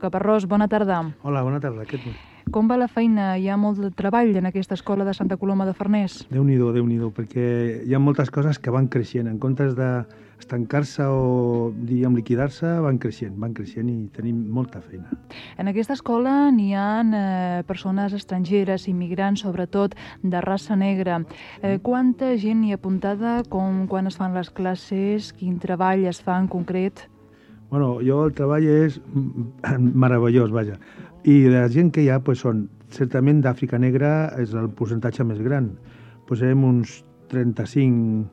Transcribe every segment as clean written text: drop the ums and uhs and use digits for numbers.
Caparrós, bona tarda. Hola, bona tarda. Com va la feina? Hi ha molt de treball en aquesta escola de Santa Coloma de Farners? Déu-n'hi-do, perquè hi ha moltes coses que van creixent. En comptes d'estancar-se o, diríem, liquidar-se, van creixent i tenim molta feina. En aquesta escola n'hi ha persones estrangeres, immigrants, sobretot de raça negra. Quanta gent hi ha apuntada? Quan es fan les classes? Quin treball es fa en concret? Bueno, el treball és meravellós, vaja. I la gent que hi ha són, certament d'Àfrica Negra és el percentatge més gran. Posem uns 35,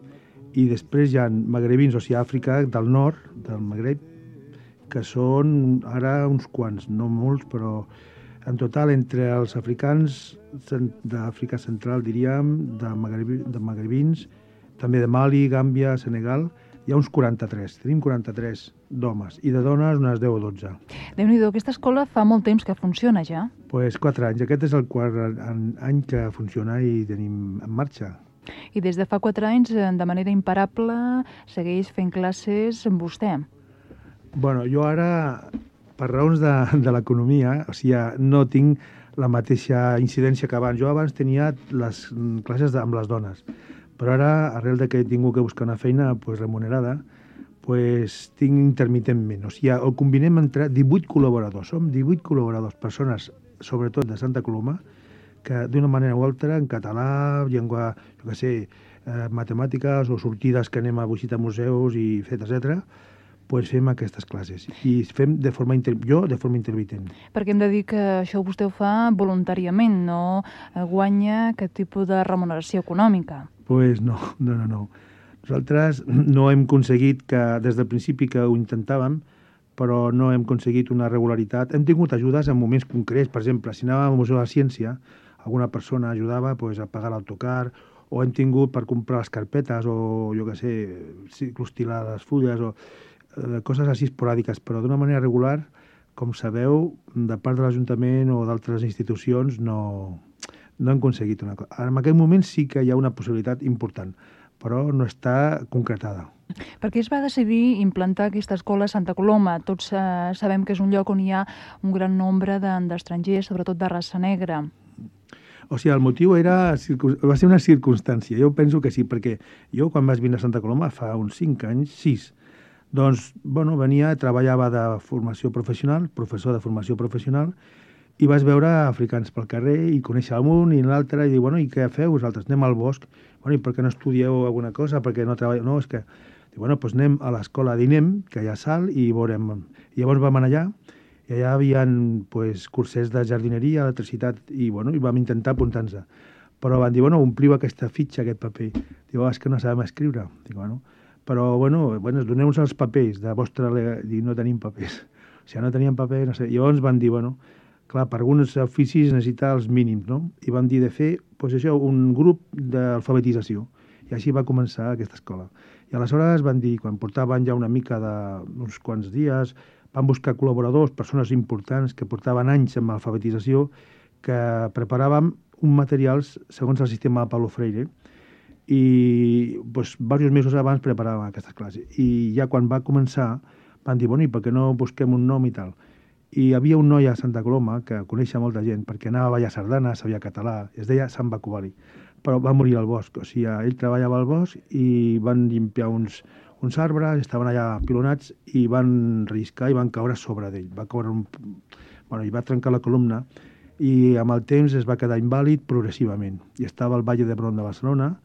i després hi ha magrebins, o sigui, Àfrica del nord, del Magreb, que són ara uns quants, no molts, però en total entre els africans d'Àfrica Central, diríem, de magrebins, també de Mali, Gàmbia, Senegal, hi ha uns 43, tenim 43 d'homes, i de dones unes 10 o 12. Déu-n'hi-do, aquesta escola fa molt temps que funciona ja? Doncs 4 anys, aquest és el quart any que funciona i tenim en marxa. I des de fa 4 anys, de manera imparable, segueix fent classes amb vostè? Bueno, jo ara, per raons de l'economia, o sigui, no tinc la mateixa incidència que abans. Jo abans tenia les classes amb les dones, però ara, arrel de que he tingut que buscar una feina remunerada, tinc intermitentment. O sigui, ho combinem entre 18 col·laboradors. Som 18 col·laboradors, persones, sobretot de Santa Coloma, que d'una manera o altra, en català, llengua, matemàtiques o sortides que anem a visitar museus i etc., fem aquestes classes. I fem de forma intermitent. Perquè hem de dir que això vostè ho fa voluntàriament, no guanya aquest tipus de remuneració econòmica. Doncs no. Nosaltres no hem aconseguit, des del principi que ho intentàvem, però no hem aconseguit una regularitat. Hem tingut ajudes en moments concrets. Per exemple, si anàvem al Museu de la Ciència, alguna persona ajudava a pagar l'autocar, o hem tingut per comprar les carpetes, o clostilar les fulles, o coses així esporàdiques, però d'una manera regular, com sabeu, de part de l'Ajuntament o d'altres institucions no hem aconseguit una cosa. En aquest moment sí que hi ha una possibilitat important, però no està concretada. Per què es va decidir implantar aquesta escola a Santa Coloma? Tots sabem que és un lloc on hi ha un gran nombre d'estrangers, sobretot de raça negra. O sigui, el motiu va ser una circumstància. Jo penso que sí, perquè jo quan vaig vindre a Santa Coloma fa uns 5 anys, 6, doncs, venia, treballava de formació professional, professor de formació professional, i vas veure africans pel carrer i conèixer un i l'altre i dir, i què feu vosaltres? Anem al bosc. I per què no estudieu alguna cosa? Per què no treballeu? No, és que... Doncs anem a l'escola d'INEM, que hi ha sal, i veurem. I llavors vam anar allà, i allà hi havia cursers de jardineria, electricitat, i vam intentar apuntar-nos. Però van dir, ompliu aquesta fitxa, aquest paper. Diu, és que no sabem escriure. Dic, però, doneu-nos els papers de vostra... Dic, no tenim papers. O sigui, no teníem paper, no sé. Llavors van dir, clar, per alguns oficis necessita els mínims, no? I vam dir de fer, un grup d'alfabetització. I així va començar aquesta escola. I aleshores van dir, quan portaven ja una mica d'uns quants dies, van buscar col·laboradors, persones importants que portaven anys amb alfabetització, que preparàvem un materials segons el sistema de Paulo Freire, i diversos mesos abans preparàvem aquestes classes. I ja quan va començar van dir, i per què no busquem un nom i tal? I hi havia un noi a Santa Coloma que coneixia molta gent, perquè anava a ballar sardana, sabia català, es deia Sant Bacubali, però va morir al bosc. O sigui, ell treballava al bosc i van llimpiar uns arbres, estaven allà pilonats i van relliscar i van caure sobre d'ell. Va caure i va trencar la columna i amb el temps es va quedar invàlid progressivament. I estava al Valle d'Hebron de Barcelona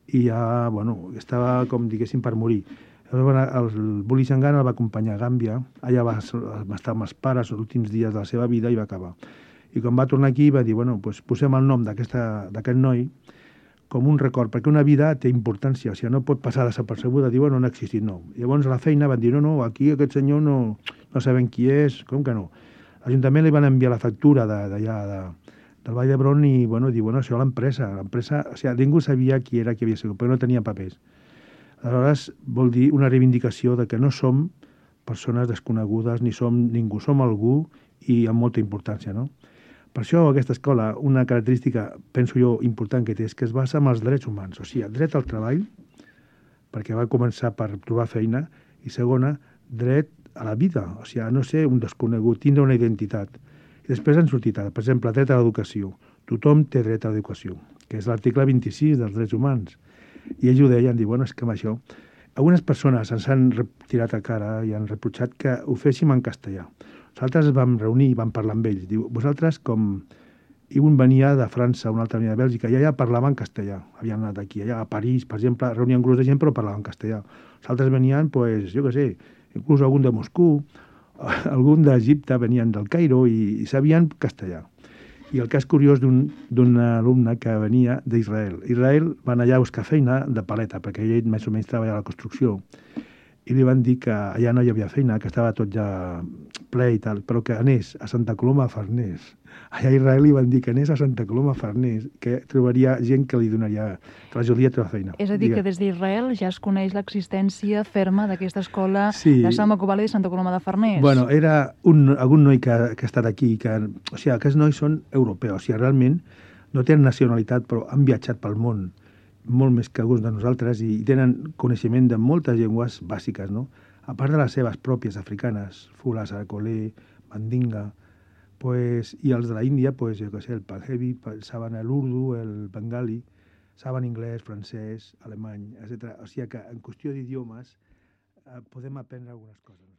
i ja, estava, com diguéssim, per morir. El Bulli Sangana el va acompanyar a Gàmbia, allà va estar amb els pares els últims dies de la seva vida i va acabar. I quan va tornar aquí va dir, posem el nom d'aquest noi com un record, perquè una vida té importància, o sigui, no pot passar desapercebuda, dir, no ha existit, no. Llavors a la feina van dir, no, aquí aquest senyor no sabem qui és, com que no. L'Ajuntament li van enviar la factura d'allà, del Vall d'Hebron i, diu, això l'empresa, o sigui, ningú sabia qui era, qui havia sigut, perquè no tenia papers. Aleshores, vol dir una reivindicació de que no som persones desconegudes, ni som ningú, som algú i amb molta importància, no? Per això aquesta escola, una característica, penso jo, important que té, és que es basa en els drets humans, o sigui, el dret al treball, perquè va començar per trobar feina, i segona, dret a la vida, o sigui, no ser un desconegut, tindre una identitat. I després han sortit, per exemple, dret a l'educació. Tothom té dret a l'educació, que és l'article 26 dels drets humans. I ells ho deien, diuen, és que amb això... Algunes persones ens han tirat a cara i han reprotxat que ho féssim en castellà. Nosaltres vam reunir i vam parlar amb ells. Diu, vosaltres com... I un venia de França, un altre venia de Bèlgica, i allà parlaven castellà. Havien anat aquí, allà a París, per exemple, reunien un grup de gent, però parlaven castellà. Els altres venien, pues, jo què sé, inclús algun de Moscou, algun d'Egipte, venien del Cairo i sabien castellà. I el cas curiós d'un alumne que venia d'Israel. Israel van allà a buscar feina de paleta, perquè ell més o menys treballava a la construcció, i li van dir que allà no hi havia feina, que estava tot ja ple i tal, però que anés a Santa Coloma a Farners. Allà a Israel li van dir que anés a Santa Coloma a Farners, que trobaria gent que li donaria, que l'ajudaria a trobar feina. És a dir, que des d'Israel ja es coneix l'existència ferma d'aquesta escola de Sant Macovali de Santa Coloma de Farners. Bueno, era algun noi que ha estat aquí, o sigui, aquests nois són europeus, o sigui, realment no tenen nacionalitat, però han viatjat pel món, molt més que alguns de nosaltres, i tenen coneixement de moltes llengües bàsiques, no? A part de les seves pròpies africanes, Fula, Saracolé, Mandinga, pues, i els de la Índia, pues, jo què sé, el Panjabi, saben l'urdu, el bengali, saben anglès, francès, alemany, etc. O sigui que en qüestió d'idiomes podem aprendre algunes coses.